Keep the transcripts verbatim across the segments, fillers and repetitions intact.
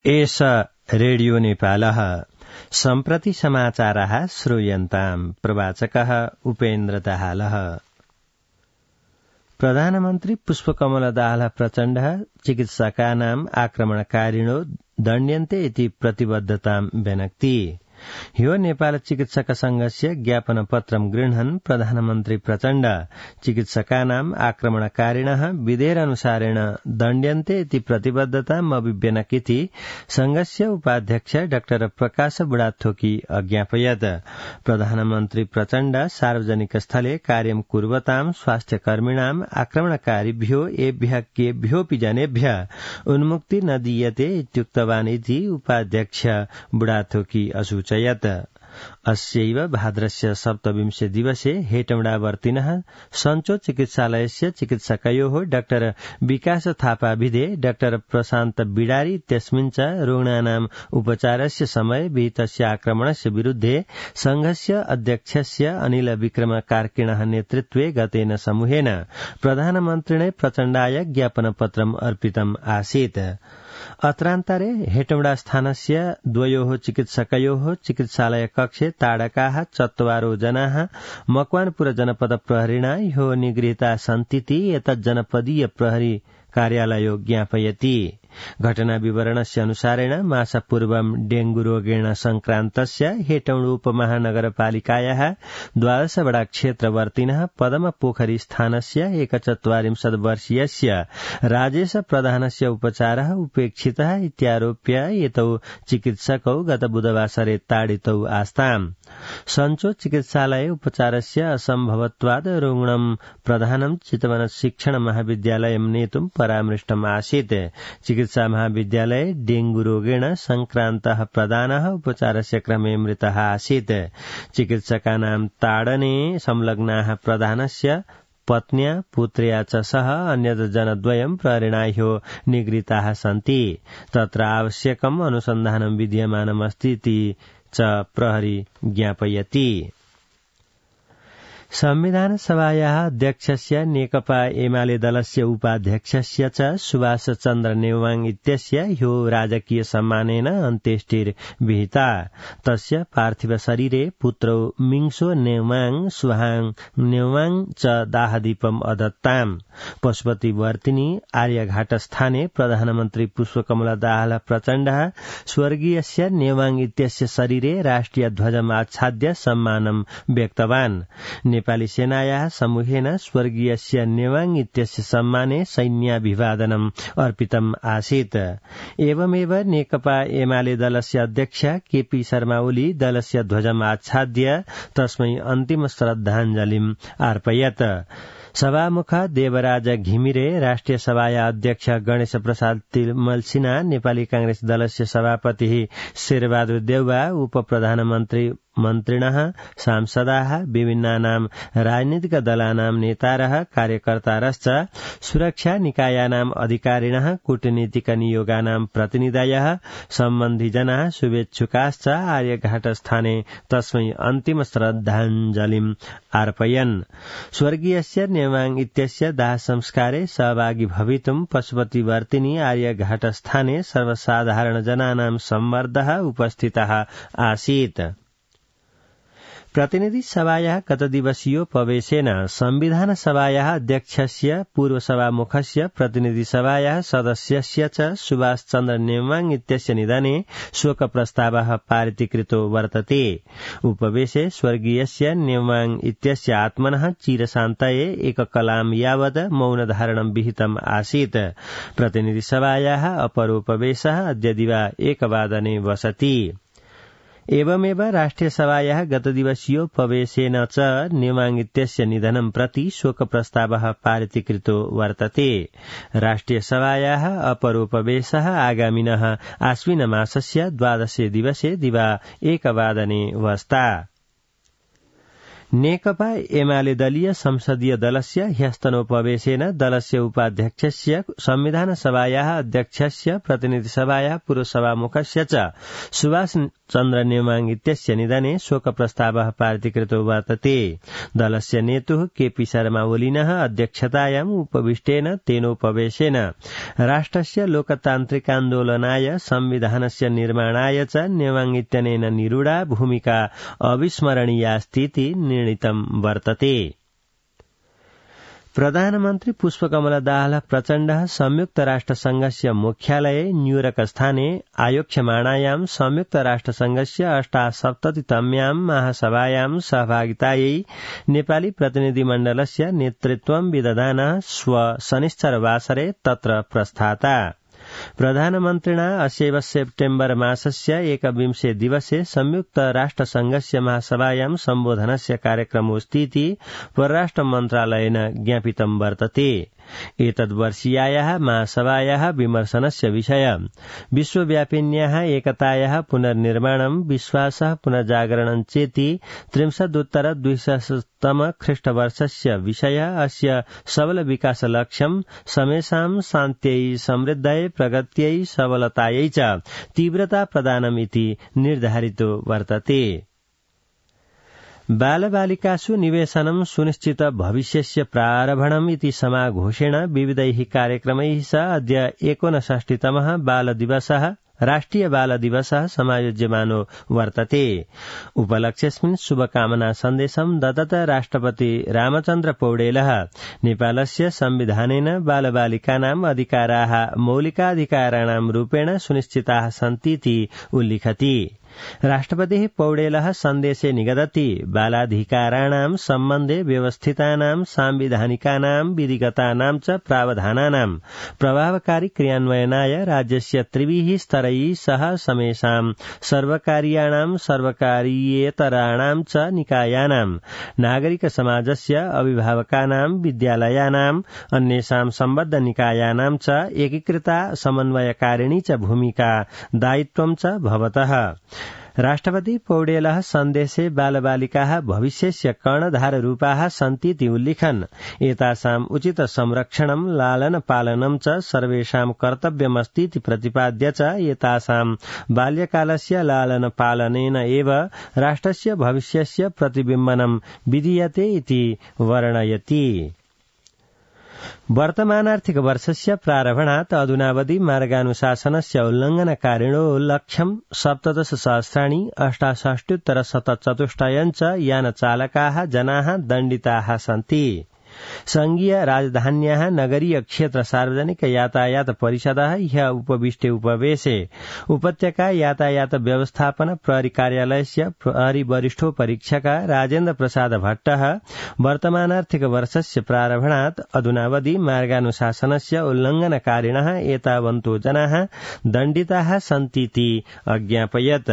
एष रेडियो नेपालः सम्प्रति समाचारः श्रूयन्ताम्। प्रवाचकः उपेन्द्र दाहालः। प्रधानमन्त्री पुष्पकमल दाहाल प्रचण्डः चिकित्सकानाम् आक्रमणकारिणो दण्ड्यन्ते इति प्रतिबद्धताम् व्यनक्ति। ह्यो नेपाल चिकित्सक संघस्य ज्ञापन पत्रं गृह्णन् प्रधानमन्त्री प्रचण्ड चिकित्सकानाम् आक्रमणकारिणः विधेयकानुसारेण दण्ड्यन्ते इति प्रतिबद्धताम् अभिव्यनक्ति संघस्य उपाध्यक्ष डाक्टर प्रकाश बुढाथोकी अज्ञापयत्। प्रधानमन्त्री प्रचण्ड सार्वजनिक स्थले कार्यं कुर्वताम् स्वास्थ्यकर्मिणाम् आक्रमणकारिभ्यो एभ्यः केभ्योऽपि जनेभ्यः उन्मुक्ति न दीयते इत्युक्तवान् इति उपाध्यक्ष बुढाथोकी असूचयत्। अस्यैव भाद्रस्य सप्तविंशे दिवसे हेटौडावर्तिनः सञ्चो चिकित्सालयस्य चिकित्सकयोः डाक्टर विकास थापा भिदे डाक्टर प्रशान्त बिडारी इत्यस्मिन् च रुग्णानाम् उपचारस्य समय विहितस्य आक्रमणस्य विरुद्धे संघस्य अध्यक्षस्य अनिल विक्रम कार्किणः नेतृत्वे गतेन समूहेन प्रधानमन्त्रिणे प्रचण्डाय ज्ञापनपत्रम् अर्पितम् आसीत्। अत्रान्तरे हेटौडा स्थानस्य द्वयोः चिकित्सकयोः चिकित्सालय कक्षे ताडकाः चत्वारो जनाः मकवानपुर जनपद प्रहरिणा ह्यो निगृहीता सन्तीति एतत् जनपदीय प्रहरी कार्यालयो ज्ञापयति। घटना विवरणस्य अनुसारेण मासपूर्वं डेंगू रोगेण संक्रान्तस्य हेटौडा उपमहानगरपालिकायाः द्वादश वडा क्षेत्रवर्तिनः पदम पोखरी स्थानस्य एकचत्वारिंशत् वर्षीयस्य राजेश प्रधानस्य उपचारः उपेक्षितः इत्यारोप्य एतौ चिकित्सकौ गत बुधवासरे ताडितौ आस्ताम्। सञ्चो चिकित्सालये उपचारस्य असम्भवत्वात् रुग्णं प्रधानं चितवन शिक्षण महाविद्यालयं नेतुं परामृष्टम् आसीत्। चिकित्सा महाविद्यालये डेंगू रोगेण संक्रान्तः प्रधानः उपचारस्य क्रमे मृतः आसीत्। चिकित्सकानां ताडने संलग्नाः प्रधानस्य पत्न्या पुत्र्या च सह अन्यत् जनद्वयं प्रहरिणा ह्यो निगृहीताः सन्ति। तत्र आवश्यकम् अनुसन्धानं विद्यमानमस्ति इति च प्रहरी ज्ञापयति। संविधान सभायाः अध्यक्षस्य नेकपा एमाले दलस्य उपाध्यक्षस्य च सुभाष चन्द्र नेवाङ इत्यस्य ह्यो राजकीय सम्मानेन अन्त्येष्टिर्विहिता। तस्य पार्थिव शरीरे पुत्रौ मिङसो नेवाङ सुहाङ नेवाङ च दाहदीपम् अदत्ताम्। पशुपतिवर्तिनी आर्यघाट स्थाने प्रधानमन्त्री पुष्पकमल दाहाल प्रचण्डः स्वर्गीयस्य नेवाङ इत्यस्य शरीरे राष्ट्रिय ध्वजम् आच्छाद्य सम्मानं व्यक्तवान्। नेपाली सेनायाः समूहेन स्वर्गीयस्य नेवाङ इत्यस्य सम्माने सैन्याभिवादनम् अर्पितम् आसीत्। एवमेव नेकपा एमाले दलस्य अध्यक्ष केपी शर्मा ओली दलस्य ध्वजम् आच्छाद्य तस्मै अन्तिम श्रद्धाञ्जलिम् अर्पयत्। सभामुख देवराज घिमिरे, राष्ट्रिय सभाया अध्यक्ष गणेश प्रसाद तिमल सिन्हा, नेपाली कांग्रेस दलस्य सभापति शेरबहादुर देउवा, उप प्रधानमन्त्री मन्त्रिणः सांसदाः, विभिन्नानां राजनीतिक दलानां नेतारः कार्यकर्तारश्च सुरक्षा निकायानाम् अधिकारिणः, कूटनीतिक नियोगानां प्रतिनिधयः, सम्बन्धिजनाः, शुभेच्छुकाश्च आर्यघाटस्थाने तस्मै अन्तिम श्रद्धाञ्जलिम् अर्पयन्। स्वर्गीयस्य नेवाङ इत्यस्य दाह संस्कारे सहभागी भवितुं पशुपतिवर्तिनी आर्यघाटस्थाने सर्वसाधारण जनानां सम्मर्दः उपस्थितः आसीत्। प्रतिनिधि सभायाः गतदिवसीयोपवेशेन संविधान सभायाः अध्यक्षस्य पूर्व सभामुखस्य प्रतिनिधि सभायाः सदस्यस्य च सुभाष चन्द्र नेवाङ इत्यस्य निधने शोक प्रस्तावः पारितीकृतो वर्तते। उपवेशे स्वर्गीयस्य नेवाङ इत्यस्य आत्मनः चिरशान्तये एककलां यावत् मौनधारणं विहितम् आसीत्। प्रतिनिधि सभायाः अपरोपवेशः अद्य दिवा एकवादने वसति। एवमेव राष्ट्रिय सभायाः गतदिवसीयोपवेशेन च नेवाङ इत्यस्य निधनं प्रति शोक प्रस्तावः पारितीकृतो वर्तते। राष्ट्रिय सभायाः अपरोपवेशः आगामिनः आश्विन मासस्य द्वादशे दिवसे दिवा एकवादने वस्ता। नेकपा एमाले दलीय संसदीय दलस्य ह्यस्तनोपवेशेन दलस्य उपाध्यक्षस्य संविधान सभायाः अध्यक्षस्य प्रतिनिधिसभायाः पूर्वसभामुखस्य च सुभाष चन्द्र नेमाङ इत्यस्य निधने शोकप्रस्तावः पारितीकृतो वर्तते। दलस्य नेतुः केपी शर्मा ओलिनः अध्यक्षतायाम् उपविष्टेन तेनोपवेशेन राष्ट्रस्य लोकतान्त्रिकान्दोलनाय संविधानस्य निर्माणाय च नेमाङ इत्यनेन निरूढा भूमिका अविस्मरणीयास्तीति निर्णीतम् वर्तते। प्रधानमन्त्री पुष्पकमल दाहाल प्रचण्डः संयुक्त राष्ट्रसंघस्य मुख्यालये न्यूयॉर्क स्थाने आयोक्ष्यमाणायां संयुक्त राष्ट्रसंघस्य अष्टासप्ततितम्यां महासभायां सहभागितायै नेपाली प्रतिनिधिमण्डलस्य नेतृत्वं विदधानः श्व शनिश्चरवासरे तत्र प्रस्थाता। प्रधानमन्त्रिणा अस्यैव सेप्टेम्बर मासस्य एकविंशे दिवसे संयुक्त राष्ट्रसंघस्य महासभायां सम्बोधनस्य कार्यक्रमोऽस्तीति परराष्ट्र मन्त्रालयेन ज्ञापितं वर्तते। एतद्वर्षीयायाः महासभायाः विमर्शनस्य विषय विश्वव्यापिन्याः एकतायाः पुनर्निर्माणं विश्वासः पुनर्जागरणं चेति त्रिंशदुत्तर द्विसहस्रतम ख्रीष्टवर्षस्य विषय अस्य सबल विकास लक्ष्यं समेषां शान्त्यै समृद्ध्यै प्रगत्यै सबलतायै च तीव्रता प्रदानमिति निर्धारितो वर्तते। बालबालिकासु निवेशनं सुनिश्चित भविष्यस्य प्रारम्भणम् इति समाघोषेण विविधैः कार्यक्रमैः सह अद्य एकोनषष्टितमः बालदिवसः राष्ट्रिय बालदिवसः समायोज्यमानो वर्तते। उपलक्ष्येऽस्मिन् शुभकामना सन्देशं दत्तत राष्ट्रपति रामचन्द्र पौडेलः नेपालस्य संविधानेन बालबालिकानाम् अधिकाराः मौलिकाधिकाराणां रूपेण सुनिश्चिताः सन्तीति उल्लिखति। राष्ट्रपतिः पौडेलः सन्देशे निगदति बालाधिकाराणां सम्बन्धे व्यवस्थितानां सांविधानिकानां विधिगतानां च प्रावधानानां प्रभावकारी क्रियान्वयनाय राज्यस्य त्रिभिः स्तरैः सह समेषां सर्वकारीयाणां सर्वकारीयेतराणां च निकायानां नागरिक समाजस्य अभिभावकानां विद्यालयानाम् अन्येषां सम्बद्ध निकायानां च एकीकृता समन्वयकारिणी च भूमिका दायित्वं च भवतः। राष्ट्रपति पौडेलः सन्देशे बालबालिकाः भविष्यस्य कर्णधाररूपाः सन्तीति उल्लिखन् एतासाम् उचित संरक्षणं लालन पालनं च सर्वेषां कर्तव्यमस्तीति प्रतिपाद्य च एतासां बाल्यकालस्य लालन पालनेन एव राष्ट्रस्य भविष्यस्य प्रतिबिम्बनं विधीयते इति वर्णयति। वर्तमानार्थिक वर्षस्य प्रारम्भणात् अधुनावधि मार्गानुशासनस्य उल्लङ्घनकारिणो लक्ष्यं सप्तदश सहस्राणि अष्टाषष्ट्युत्तर शतचतुष्टयं च यानचालकाः जनाः दण्डिताः सन्ति। संघीय राजधान्याः नगरीय क्षेत्र सार्वजनिक यातायात परिषदः ह्यः उपविष्टे उपवेशे उपत्यका यातायात व्यवस्थापन प्रहरी कार्यालयस्य प्रहरी वरिष्ठो परीक्षक राजेन्द्र प्रसाद भट्टः वर्तमानार्थिक वर्षस्य प्रारम्भणात् अधुनावधि मार्गानुशासनस्य उल्लङ्घनकारिणः एतावन्तो जनाः दण्डिताः सन्तीति अज्ञापयत्।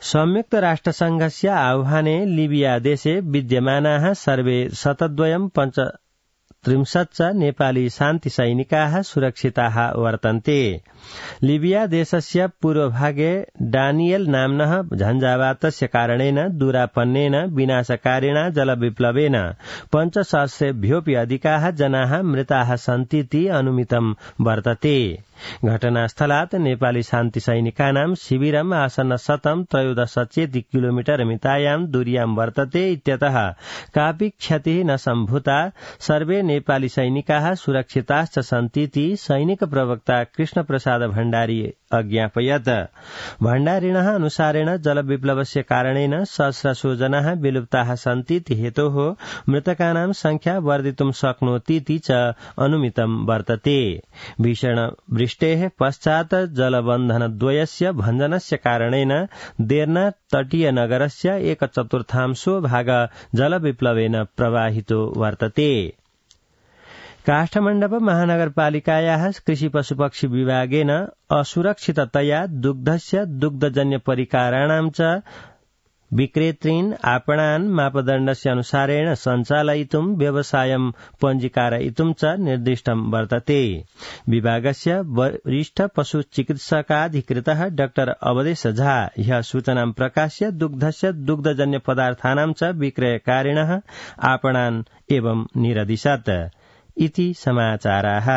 संयुक्त राष्ट्रसंघस्य आह्वाने लिबिया देशे विद्यमानाः सर्वे शतद्वयं पञ्चत्रिंशत् च नेपाली शान्ति सैनिकाः सुरक्षिताः वर्तन्ते। लिबिया देशस्य पूर्वभागे डानियल नाम्नः झञ्झावातस्य कारणेन दूरापन्नेन विनाशकारिणा जलविप्लवेन पञ्चसहस्रेभ्योऽपि अधिकाः जनाः मृताः सन्तीति अनुमितं वर्तते। घटनास्थलात् नेपाली शान्ति सैनिकानां शिविरम् आसन्न शतं त्रयोदश चेति किलोमीटर मितायां दूर्यां वर्तते इत्यतः कापि क्षतिः न सम्भूता। सर्वे नेपाली सैनिकाः सुरक्षिताश्च सन्तीति सैनिक प्रवक्ता कृष्ण प्रसाद भण्डारी अज्ञापयत्। भण्डारिणः अनुसारेण जलविप्लवस्य कारणेन सहस्रशो जनाः विलुप्ताः सन्तीति हेतोः मृतकानां संख्या वर्धितुं शक्नोतीति च अनुमितं वर्तते। भीषण वृष्टेः पश्चात् जलबन्धनद्वयस्य भञ्जनस्य कारणेन देर्ना तटीय नगरस्य एक चतुर्थांशो भाग जलविप्लवेन प्रवाहितो वर्तते। काष्ठमण्डप महानगरपालिकायाः कृषि पशुपक्षी विभागेन असुरक्षिततया दुग्धस्य दुग्धजन्य परिकराणां च विक्रेतॄन् आपणान् मापदण्डस्य अनुसारेण सञ्चालयितुं व्यवसायं पञ्जीकारयितुं च निर्दिष्टं वर्तते। विभागस्य वरिष्ठ पशुचिकित्सकाधिकृतः डाक्टर अवधेश झा ह्यः सूचनां प्रकाश्य दुग्धस्य दुग्धजन्य पदार्थानां च विक्रयकारिणः आपणान् एवं निरदिशत् इति समाचाराः।